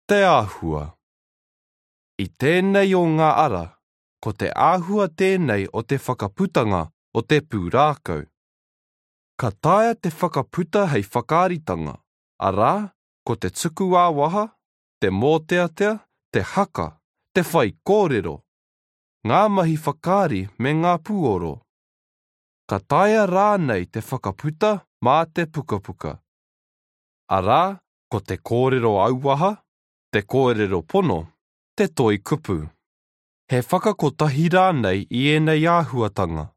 Te āhua. I tēnei o ngā ara, ko te āhua tēnei o te whakaputanga o te pūrākau. Ka taea te whakaputa hei whakaaritanga, arā, ko te tuku ā-waha, te mōteatea, te haka, te whaikōrero, ngā mahi whakaari me ngā puoro. Ka taea rānei te whakaputa mā te pukapuka. Arā, ko te kōrero auaha, te kōrero pono, te toi kupu. He whakakotahi rānei i ēnei āhuatanga.